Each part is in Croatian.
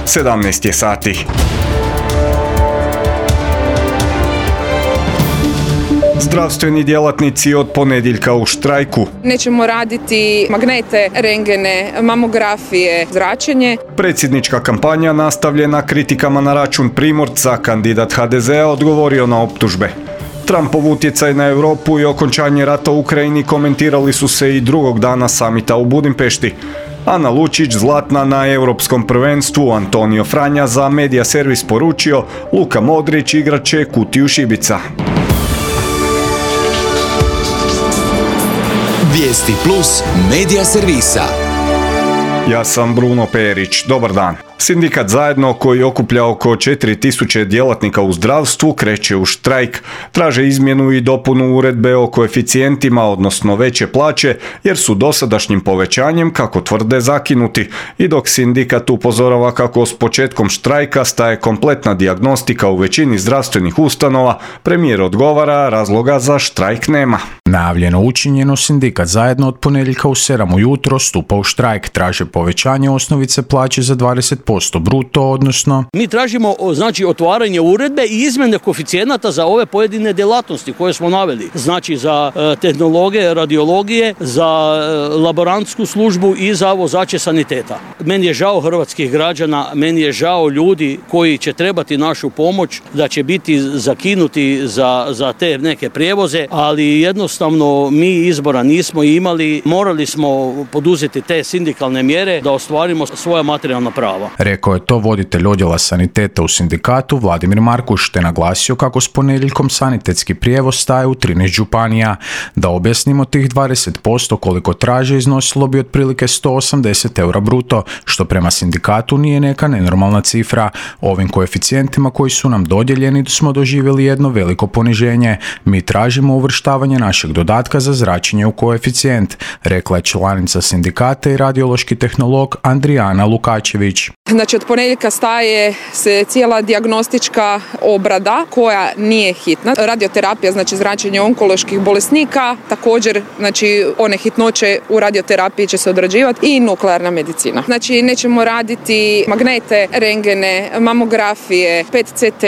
17 je sati. Zdravstveni djelatnici od ponedjeljka u štrajku. Nećemo raditi magnete, rengene, mamografije, zračenje. Predsjednička kampanja nastavljena kritikama na račun Primorca, kandidat HDZ-a odgovorio na optužbe. Trumpov utjecaj na Europu i okončanje rata u Ukrajini komentirali su se i drugog dana samita u Budimpešti. Ana Lučić zlatna na europskom prvenstvu, Antonio Franja za Media Servis poručio, Luka Modrić igrat će kutiju šibica. Vijesti plus Media Servisa. Ja sam Bruno Perić, dobar dan. Sindikat Zajedno, koji okuplja oko 4000 djelatnika u zdravstvu, kreće u štrajk. Traže izmjenu i dopunu uredbe o koeficijentima, odnosno veće plaće, jer su dosadašnjim povećanjem, kako tvrde, zakinuti. I dok sindikat upozorava kako s početkom štrajka staje kompletna dijagnostika u većini zdravstvenih ustanova, premijer odgovara, razloga za štrajk nema. Najavljeno učinjeno, sindikat Zajedno od ponedjeljka u 7 ujutro stupa u štrajk. Traže povećanje osnovice plaće za 20% bruto, odnosno... Mi tražimo otvaranje uredbe i izmjene koeficijenata za ove pojedine djelatnosti koje smo naveli. Znači za tehnologe, radiologije, za laborantsku službu i za vozače saniteta. Meni je žao hrvatskih građana, meni je žao ljudi koji će trebati našu pomoć, da će biti zakinuti za te neke prijevoze, ali jednostavno mi izbora nismo imali, morali smo poduzeti te sindikalne mjere da ostvarimo svoja materijalna prava. Rekao je to voditelj odjela saniteta u sindikatu Vladimir Markuš, te naglasio kako s ponedjeljkom sanitetski prijevoz staje u 13 županija. Da objasnimo, tih 20% koliko traže iznosilo bi otprilike 180 eura bruto, što prema sindikatu nije neka nenormalna cifra. Ovim koeficijentima koji su nam dodijeljeni smo doživjeli jedno veliko poniženje. Mi tražimo uvrštavanje našeg dodatka za zračenje u koeficijent, rekla je članica sindikata i radiološki tehnolog Andrijana Lukačević. Znači od ponedjeljka staje se cijela dijagnostička obrada koja nije hitna. Radioterapija, znači zračenje onkoloških bolesnika, također znači one hitnoće u radioterapiji će se odrađivati i nuklearna medicina. Znači nećemo raditi magnete, rengene, mamografije, PET CT,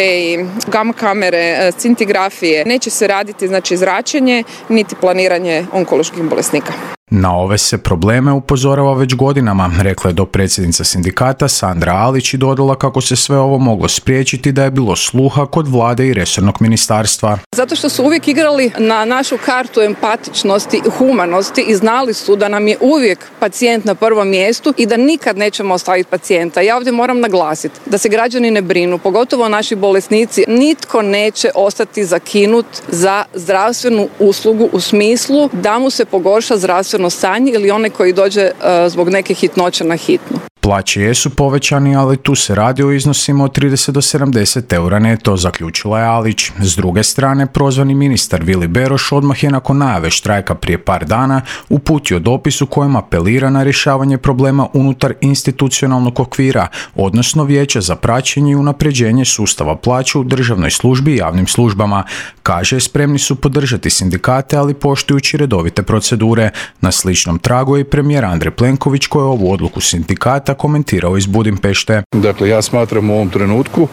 gamma kamere, scintigrafije. Neće se raditi znači zračenje niti planiranje onkoloških bolesnika. Na ove se probleme upozorava već godinama, rekla je dopredsjednica sindikata Sandra Alić i dodala kako se sve ovo moglo spriječiti da je bilo sluha kod vlade i resornog ministarstva. Zato što su uvijek igrali na našu kartu empatičnosti i humanosti i znali su da nam je uvijek pacijent na prvom mjestu i da nikad nećemo ostaviti pacijenta. Ja ovdje moram naglasiti da se građani ne brinu, pogotovo naši bolesnici. Nitko neće ostati zakinut za zdravstvenu uslugu u smislu da mu se pogorša zdravstveno stanje ili onaj koji dođe zbog neke hitnoće na hitnu. Plaće jesu povećani, ali tu se radi o iznosima od 30 do 70 eura neto, zaključila je Alić. S druge strane, prozvani ministar Vili Beroš odmah je nakon najave štrajka prije par dana uputio dopis u kojem apelira na rješavanje problema unutar institucionalnog okvira, odnosno vijeća za praćenje i unapređenje sustava plaća u državnoj službi i javnim službama. Kaže, spremni su podržati sindikate, ali poštujući redovite procedure. Na sličnom tragu je i premijer Andrej Plenković, koji je ovu odluku sindikata komentirao iz Budimpešte. Dakle, ja smatram u ovom trenutku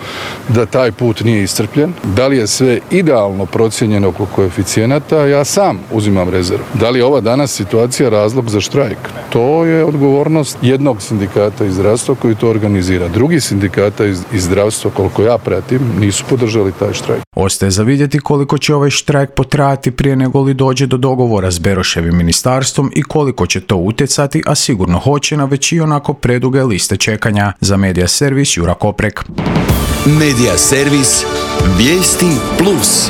da taj put nije iscrpljen. Da li je sve idealno procijenjeno oko koeficijenata, ja sam uzimam rezervu. Da li je ova danas situacija razlog za štrajk? To je odgovornost jednog sindikata iz zdravstva koji to organizira. Drugi sindikata iz zdravstva, koliko ja pratim, nisu podržali taj štrajk. Ostaje za vidjeti koliko će ovaj štrajk potrajati prije nego li dođe do dogovora s Beroševim ministarstvom i koliko će to utjecati, a sigurno hoće na već i onako preduge liste čekanja. Za Media Servis Jura Koprek. Media Servis. Vijesti plus.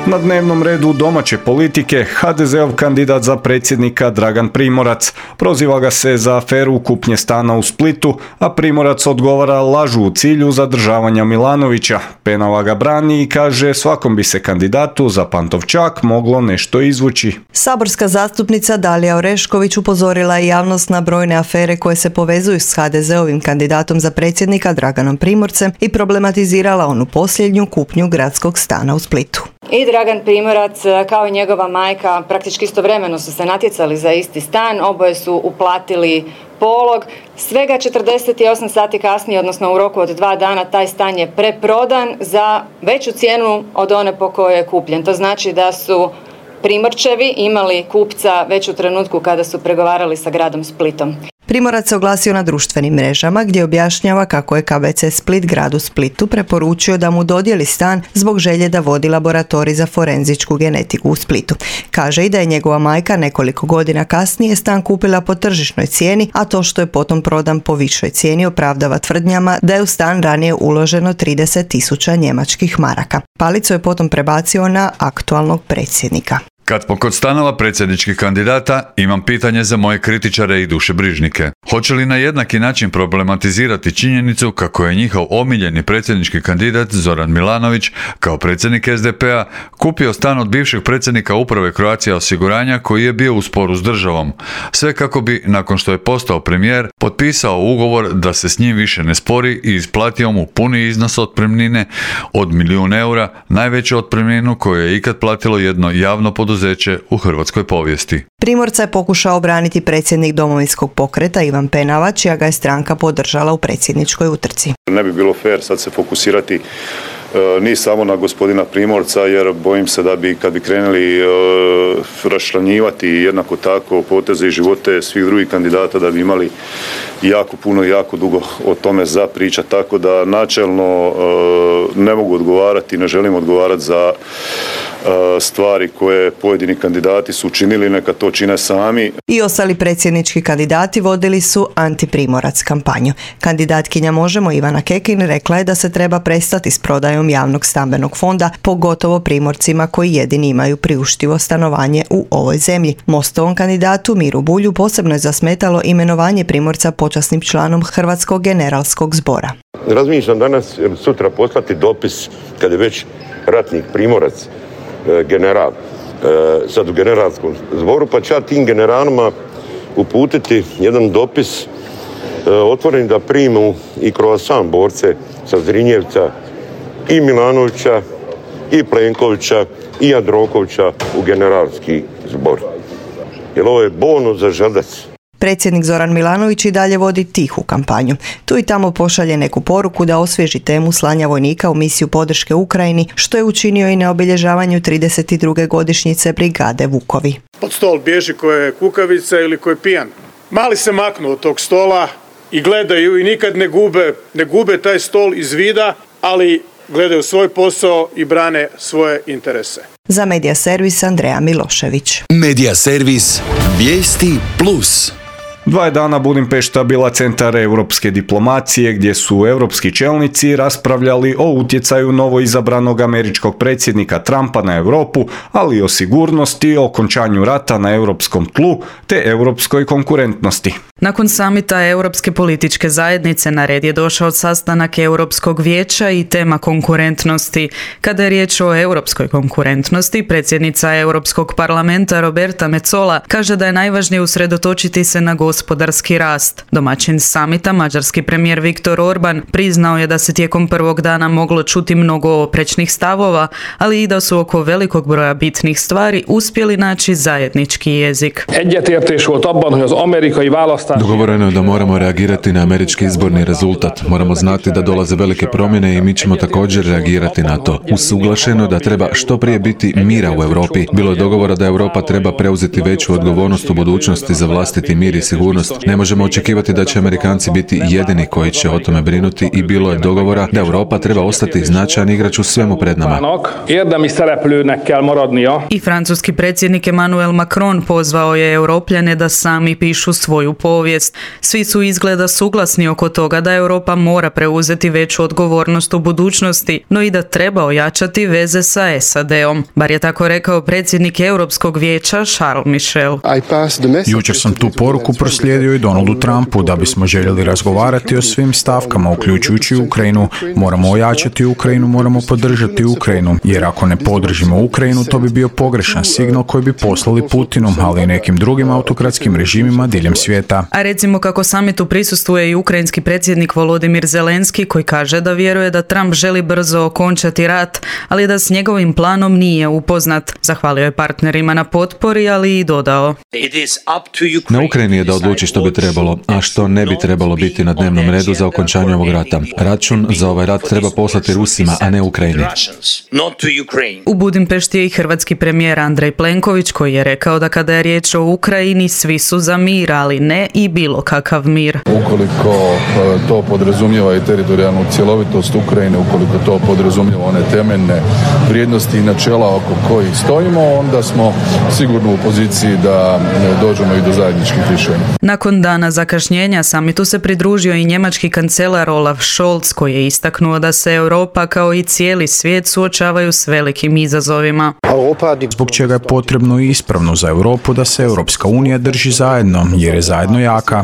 Na dnevnom redu domaće politike HDZ-ov kandidat za predsjednika Dragan Primorac. Proziva ga se za aferu kupnje stana u Splitu, a Primorac odgovara lažu u cilju zadržavanja Milanovića. Penava ga brani i kaže svakom bi se kandidatu za Pantovčak moglo nešto izvući. Saborska zastupnica Dalija Orešković upozorila je javnost na brojne afere koje se povezuju s HDZ-ovim kandidatom za predsjednika Draganom Primorcem i problematizirala onu posljednju kupnju gradskog stana u Splitu. I Dragan Primorac kao i njegova majka praktički istovremeno su se natjecali za isti stan, oboje su uplatili polog. Svega 48 sati kasnije, odnosno u roku od 2 dana, taj stan je preprodan za veću cijenu od one po kojoj je kupljen. To znači da su Primorčevi imali kupca već u trenutku kada su pregovarali sa gradom Splitom. Primorac se oglasio na društvenim mrežama gdje objašnjava kako je KBC Split gradu Splitu preporučio da mu dodijeli stan zbog želje da vodi laboratorij za forenzičku genetiku u Splitu. Kaže i da je njegova majka nekoliko godina kasnije stan kupila po tržišnoj cijeni, a to što je potom prodan po višoj cijeni opravdava tvrdnjama da je u stan ranije uloženo 30.000 njemačkih maraka. Palicu je potom prebacio na aktualnog predsjednika. Kad smo kod stanova predsjedničkih kandidata, imam pitanje za moje kritičare i dušebrižnike. Hoće li na jednaki način problematizirati činjenicu kako je njihov omiljeni predsjednički kandidat Zoran Milanović kao predsjednik SDP-a kupio stan od bivšeg predsjednika uprave Croatia osiguranja koji je bio u sporu s državom. Sve kako bi, nakon što je postao premijer, potpisao ugovor da se s njim više ne spori i isplatio mu puni iznos otpremnine od 1.000.000 eura, najveću otpremninu koju je ikad platilo jedno javno poduzeće u hrvatskoj povijesti. Primorca je pokušao obraniti predsjednik Domovinskog pokreta Ivan Penava, čija ga je stranka podržala u predsjedničkoj utrci. Ne bi bilo fair sad se fokusirati ni samo na gospodina Primorca, jer bojim se da bi kad bi krenuli raščlanjivati jednako tako poteze i živote svih drugih kandidata da bi imali jako puno i jako dugo o tome za pričati, tako da načelno ne mogu odgovarati, ne želim odgovarati za stvari koje pojedini kandidati su učinili, neka to čine sami. I ostali predsjednički kandidati vodili su antiprimorac kampanju. Kandidatkinja Možemo Ivana Kekin rekla je da se treba prestati s prodajom javnog stambenog fonda, pogotovo Primorcima koji jedini imaju priuštivo stanovanje u ovoj zemlji. Mostovom kandidatu Miru Bulju posebno je zasmetalo imenovanje Primorca počasnim članom Hrvatskog generalskog zbora. Razmišljam danas ili sutra poslati dopis kad je već ratnik Primorac general, sad u generalskom zboru, pa ću ja tim generalima uputiti jedan dopis otvoren da primu i croissant borce sa Zrinjevca i Milanovića i Plenkovića i Jandrokovića u generalski zbor. Jer ovo je bonus za želdac. Predsjednik Zoran Milanović i dalje vodi tihu kampanju. Tu i tamo pošalje neku poruku da osvježi temu slanja vojnika u misiju podrške Ukrajini, što je učinio i na obilježavanju 32. godišnjice brigade Vukovi. Pod stol bježi ko je kukavica ili ko je pijan. Mali se maknu od tog stola i gledaju i nikad ne gube taj stol iz vida, ali gledaju svoj posao i brane svoje interese. Za Medija servis Andreja Milošević. Medija servis Vijesti Plus. 2 dana Budimpešta bila centar europske diplomacije gdje su europski čelnici raspravljali o utjecaju novoizabranog američkog predsjednika Trumpa na Europu, ali i o sigurnosti, okončanju rata na europskom tlu te europskoj konkurentnosti. Nakon samita Europske političke zajednice na red je došao sastanak Europskog vijeća i tema konkurentnosti. Kada je riječ o europskoj konkurentnosti, predsjednica Europskog parlamenta Roberta Metsola kaže da je najvažnije usredotočiti se na gospodarski rast. Domaćin samita, mađarski premijer Viktor Orban, priznao je da se tijekom prvog dana moglo čuti mnogo oprečnih stavova, ali i da su oko velikog broja bitnih stvari uspjeli naći zajednički jezik. Dogovoreno je da moramo reagirati na američki izborni rezultat. Moramo znati da dolaze velike promjene i mi ćemo također reagirati na to. Usuglašeno je da treba što prije biti mira u Europi. Bilo je dogovora da Europa treba preuzeti veću odgovornost u budućnosti za vlastiti mir i sigurnost. Ne možemo očekivati da će Amerikanci biti jedini koji će o tome brinuti i bilo je dogovora da Europa treba ostati značajan igrač u svemu pred nama. I francuski predsjednik Emmanuel Macron pozvao je Europljane da sami pišu svoju povijest. Svi su izgleda suglasni oko toga da Europa mora preuzeti veću odgovornost u budućnosti, no i da treba ojačati veze sa SAD-om. Bar je tako rekao predsjednik Europskog vijeća Charles Michel. Jučer sam tu poruku proslijedio i Donaldu Trumpu da bismo željeli razgovarati o svim stavkama, uključujući Ukrajinu. Moramo ojačati Ukrajinu, moramo podržati Ukrajinu, jer ako ne podržimo Ukrajinu, to bi bio pogrešan signal koji bi poslali Putinu, ali i nekim drugim autokratskim režimima diljem svijeta. A recimo kako samitu prisustvuje i ukrajinski predsjednik Volodimir Zelenski koji kaže da vjeruje da Trump želi brzo okončati rat, ali da s njegovim planom nije upoznat. Zahvalio je partnerima na potpori, ali i dodao: Na Ukrajini je da odluči što bi trebalo, a što ne bi trebalo biti na dnevnom redu za okončanje ovog rata. Račun za ovaj rat treba poslati Rusima, a ne Ukrajini. U Budimpešti je i hrvatski premijer Andrej Plenković koji je rekao da kada je riječ o Ukrajini svi su za mir, ali ne i bilo kakav mir. Ukoliko to podrazumijeva i teritorijalnu cjelovitost Ukrajine, ukoliko to podrazumijeva one temeljne vrijednosti i načela oko kojih stojimo, onda smo sigurno u poziciji da dođemo i do zajedničkih rješenja. Nakon dana zakašnjenja samitu se pridružio i njemački kancelar Olaf Scholz koji je istaknuo da se Europa kao i cijeli svijet suočavaju s velikim izazovima. Zbog čega je potrebno i ispravno za Europu da se Europska unija drži zajedno, jer je zajedno jaka.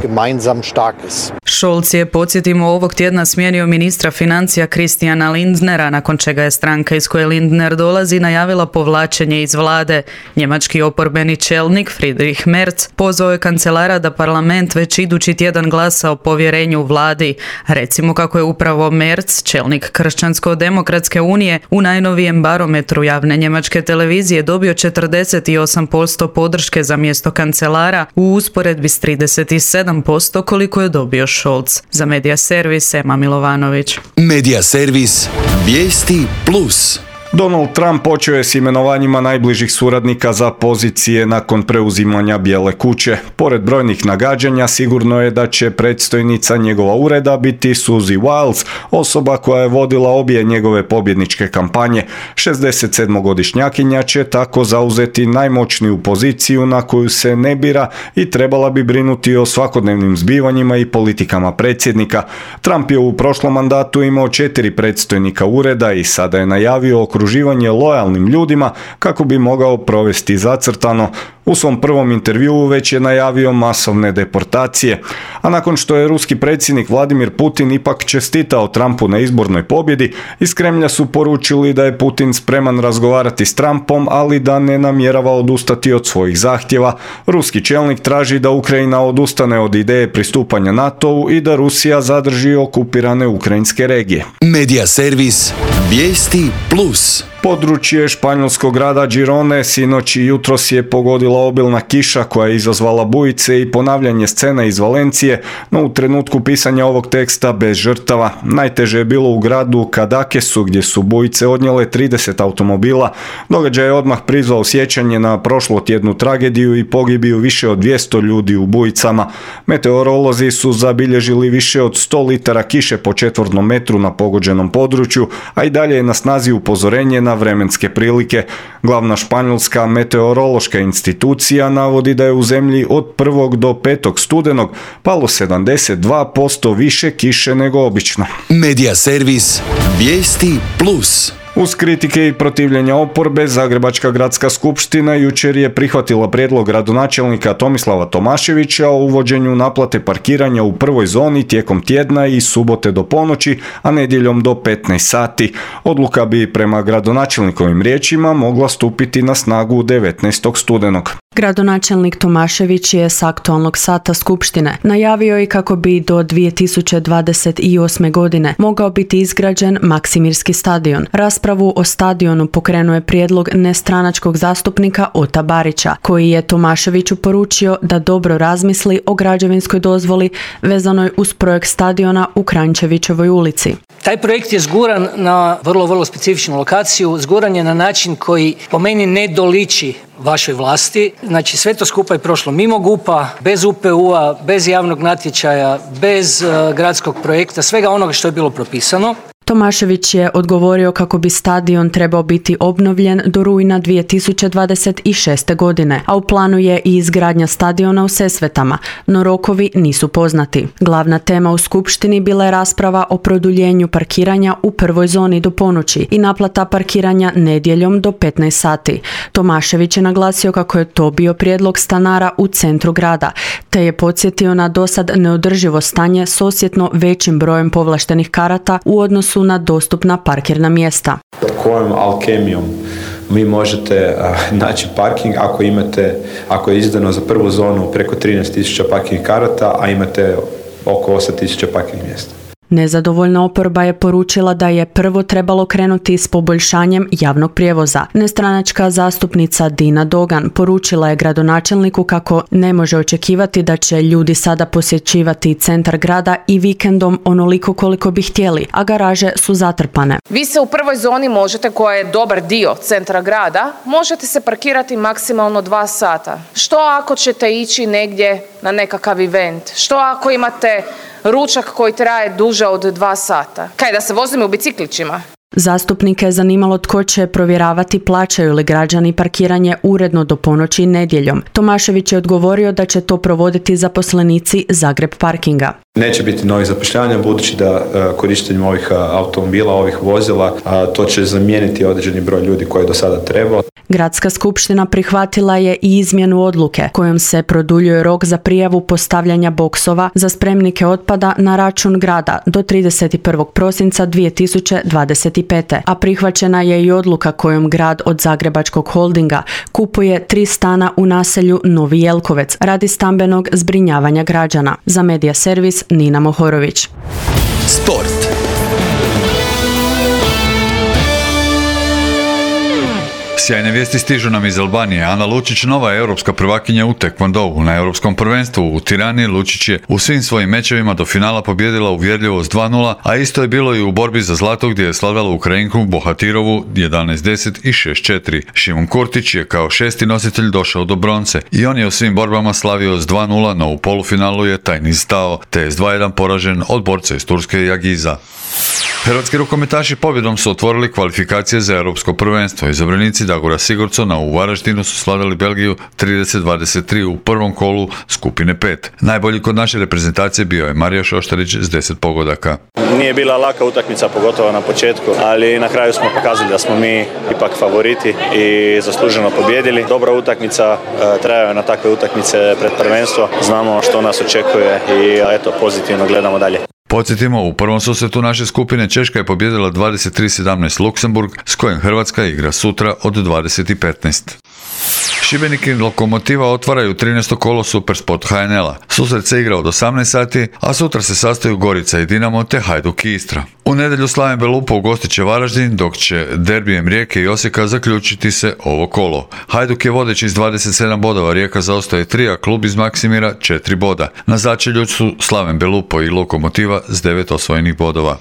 Scholz je, podsjetimo, ovog tjedna smijenio ministra financija Christiana Lindnera, nakon čega je stranka iz koje Lindner dolazi najavila povlačenje iz vlade. Njemački oporbeni čelnik Friedrich Merz pozvao je kancelara da parlament već idući tjedan glasa o povjerenju vladi. Recimo kako je upravo Merz, čelnik Kršćansko-demokratske unije, u najnovijem barometru javne njemačke televizije dobio 48% podrške za mjesto kancelara u usporedbi s 37% koliko je dobio Scholz. Za Medija servis Ema Milovanović. Medija servis Vijesti Plus. Donald Trump počeo je s imenovanjima najbližih suradnika za pozicije nakon preuzimanja Bijele kuće. Pored brojnih nagađanja, sigurno je da će predstojnica njegova ureda biti Suzy Wiles, osoba koja je vodila obje njegove pobjedničke kampanje. 67-godišnjakinja će tako zauzeti najmoćniju poziciju na koju se ne bira i trebala bi brinuti o svakodnevnim zbivanjima i politikama predsjednika. Trump je u prošlom mandatu imao 4 predstojnika ureda i sada je najavio okruživanje lojalnim ljudima kako bi mogao provesti zacrtano. U svom prvom intervjuu već je najavio masovne deportacije, a nakon što je ruski predsjednik Vladimir Putin ipak čestitao Trumpu na izbornoj pobjedi, iz Kremlja su poručili da je Putin spreman razgovarati s Trumpom, ali da ne namjerava odustati od svojih zahtjeva. Ruski čelnik traži da Ukrajina odustane od ideje pristupanja NATO-u i da Rusija zadrži okupirane ukrajinske regije. Medija servis Vijesti Plus. Područje španjolskog grada Girone sinoć i jutros je pogodila obilna kiša koja je izazvala bujice i ponavljanje scena iz Valencije, no u trenutku pisanja ovog teksta bez žrtava. Najteže je bilo u gradu Cadaquesu gdje su bujice odnijele 30 automobila. Događaj je odmah prizvao sjećanje na prošlotjednu tragediju i pogibiju više od 200 ljudi u bujicama. Meteorolozi su zabilježili više od 100 litara kiše po četvornom metru na pogođenom području, a i dalje je na snazi upozorenje na vremenske prilike. Glavna španjolska meteorološka institucija navodi da je u zemlji od 1. do 5. studenog palo 72% više kiše nego obično. Medija servis Vijesti Plus. Uz kritike i protivljenja oporbe, Zagrebačka gradska skupština jučer je prihvatila prijedlog gradonačelnika Tomislava Tomaševića o uvođenju naplate parkiranja u prvoj zoni tijekom tjedna i subote do ponoći, a nedjeljom do 15 sati. Odluka bi prema gradonačelnikovim riječima mogla stupiti na snagu 19. studenog. Gradonačelnik Tomašević je s aktualnog sata skupštine najavio i kako bi do 2028. godine mogao biti izgrađen Maksimirski stadion. Raspravu o stadionu pokrenuo je prijedlog nestranačkog zastupnika Ota Barića, koji je Tomaševiću poručio da dobro razmisli o građevinskoj dozvoli vezanoj uz projekt stadiona u Kranjčevićevoj ulici. Taj projekt je zguran na vrlo specifičnu lokaciju, zguran je na način koji po meni ne doliči vašoj vlasti. Znači sve to skupa je prošlo mimo GUP-a, bez UPU-a, bez javnog natječaja, bez gradskog projekta, svega onoga što je bilo propisano. Tomašević je odgovorio kako bi stadion trebao biti obnovljen do rujna 2026. godine, a u planu je i izgradnja stadiona u Sesvetama, no rokovi nisu poznati. Glavna tema u skupštini bila je rasprava o produljenju parkiranja u prvoj zoni do ponoći i naplata parkiranja nedjeljom do 15 sati. Tomašević je naglasio kako je to bio prijedlog stanara u centru grada, te je podsjetio na dosad neodrživo stanje s osjetno većim brojem povlaštenih karata u odnosu su na dostupna parkirna mjesta. Kojom alkemijom vi možete naći parking ako je izdano za prvu zonu preko 13.000 parking karata, a imate oko 8.000 parking mjesta. Nezadovoljna oporba je poručila da je prvo trebalo krenuti s poboljšanjem javnog prijevoza. Nestranačka zastupnica Dina Dogan poručila je gradonačelniku kako ne može očekivati da će ljudi sada posjećivati centar grada i vikendom onoliko koliko bi htjeli, a garaže su zatrpane. Vi se u prvoj zoni možete, koja je dobar dio centra grada, možete se parkirati maksimalno 2 sata. Što ako ćete ići negdje na nekakav event? Što ako imate ručak koji traje duže od 2 sata? Kaj, da se vozimo u biciklićima? Zastupnike je zanimalo tko će provjeravati plaćaju li građani parkiranje uredno do ponoći nedjeljom. Tomašević je odgovorio da će to provoditi zaposlenici Zagreb parkinga. Neće biti novih zapošljavanja budući da korištenjem ovih automobila, ovih vozila, to će zamijeniti određeni broj ljudi koji je do sada trebao. Gradska skupština prihvatila je i izmjenu odluke kojom se produljuje rok za prijavu postavljanja boksova za spremnike otpada na račun grada do 31. prosinca 2025. A prihvaćena je i odluka kojom grad od Zagrebačkog holdinga kupuje 3 stana u naselju Novi Jelkovec radi stambenog zbrinjavanja građana. Za Medija servis Nina Mohorović. Sport. Sjajne vijesti stižu nam iz Albanije. Ana Lučić, nova europska prvakinja u tekvondou. Na europskom prvenstvu u Tirani Lučić je u svim svojim mečevima do finala pobjedila uvjerljivo s 2:0, a isto je bilo i u borbi za zlato gdje je slavila Ukrajinku Bohatirovu 11:10 i 6:4. Šimon Kurtić je kao 6. nositelj došao do bronce i on je u svim borbama slavio s 2:0, no u polufinalu je taj niz stao, te je s 2:1 poražen od borca iz Turske Jagiza. Hrvatski rukometaši pobjedom su otvorili kvalifikacije za europsko prvenstvo. Izabranici Dagora Sigurdsona u Varaždinu su slavili Belgiju 30-23 u prvom kolu skupine 5. Najbolji kod naše reprezentacije bio je Marija Šoštarić s 10 pogodaka. Nije bila laka utakmica, pogotovo na početku, ali na kraju smo pokazali da smo mi ipak favoriti i zasluženo pobjedili. Dobra utakmica, trajaju na takve utakmice pred prvenstvo. Znamo što nas očekuje i eto, pozitivno gledamo dalje. Podsjetimo, u prvom susretu naše skupine Češka je pobijedila 23-17 Luksemburg, s kojim Hrvatska igra sutra od 20:15. Šibenik i Lokomotiva otvaraju 13. kolo Supersport HNL-a. Susret se igra od 18 sati, a sutra se sastaju Gorica i Dinamo te Hajduk i Istra. U nedjelju Slaven Belupo ugostit će Varaždin, dok će derbijem Rijeke i Osijeka zaključiti se ovo kolo. Hajduk je vodeći s 27 bodova, Rijeka zaostaje 3, a klub iz Maksimira 4 boda. Na začelju su Slaven Belupo i Lokomotiva s 9 osvojenih bodova.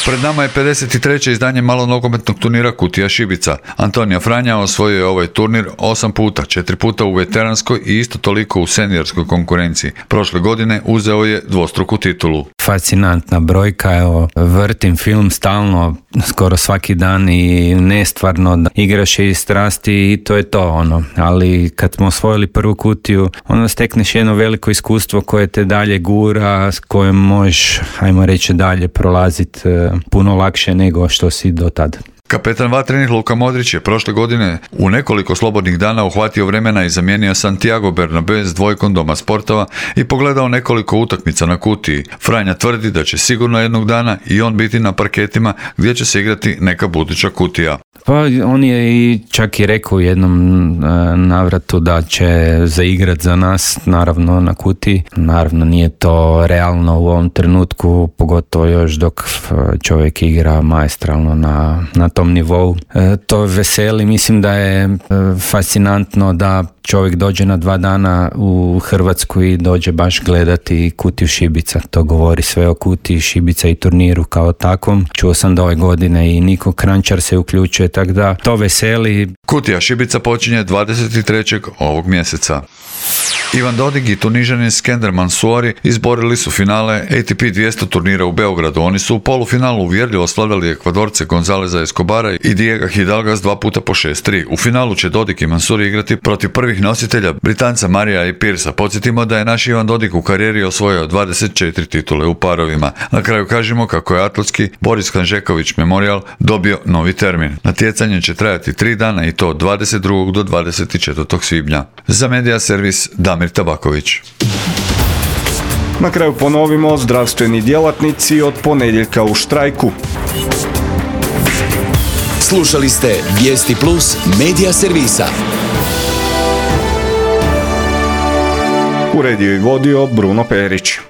Pred nama je 53. izdanje malonogometnog turnira Kutija Šibica. Antonija Franja osvojio je ovaj turnir 8 puta, 4 puta u veteranskoj i isto toliko u seniorskoj konkurenciji. Prošle godine uzeo je dvostruku titulu. Fascinantna brojka, evo, vrtim film stalno, skoro svaki dan i nestvarno, igraš je iz strasti i to je to, ali kad smo osvojili prvu kutiju, onda stekneš jedno veliko iskustvo koje te dalje gura, s kojim možeš, ajmo reći, dalje prolaziti puno lakše nego što si do tada. Kapetan vatrenih Luka Modrić je prošle godine u nekoliko slobodnih dana uhvatio vremena i zamijenio Santiago Bernabé s dvojkom Doma sportova i pogledao nekoliko utakmica na kutiji. Franja tvrdi da će sigurno jednog dana i on biti na parketima gdje će se igrati neka buduća kutija. Pa on je i čak i rekao u jednom navratu da će zaigrat za nas, naravno na kutiji. Naravno nije to realno u ovom trenutku, pogotovo još dok čovjek igra maestralno na tom nivou. To veseli, mislim da je fascinantno da čovjek dođe na 2 dana u Hrvatsku i dođe baš gledati Kutiju Šibica. To govori sve o Kutiji Šibica i turniru kao takvom. Čuo sam da ove godine i Niko Krančar se uključuje, tako da to veseli. Kutija Šibica počinje 23. ovog mjeseca. Ivan Dodig i Tunižanin Skender Mansouri izborili su finale ATP 200 turnira u Beogradu. Oni su u polufinalu uvjerljivo slavljali Ekvadorce Gonzaleza Escobara i Diego Hidalga s 2 puta po 6-3. U finalu će Dodig i Mansouri igrati protiv prvih nositelja Britanca Marija i Pirsa. Podsjetimo da je naš Ivan Dodig u karijeri osvojio 24 titule u parovima. Na kraju kažemo kako je atletski Boris Hanžeković Memorial dobio novi termin. Natjecanje će trajati 3 dana i to od 22. do 24. svibnja. Za Medija servis Damir Tabaković. Na kraju ponovimo, zdravstveni djelatnici od ponedjeljka u štrajku. Slušali ste Vijesti Plus medija servisa. Uredio i vodio Bruno Perić.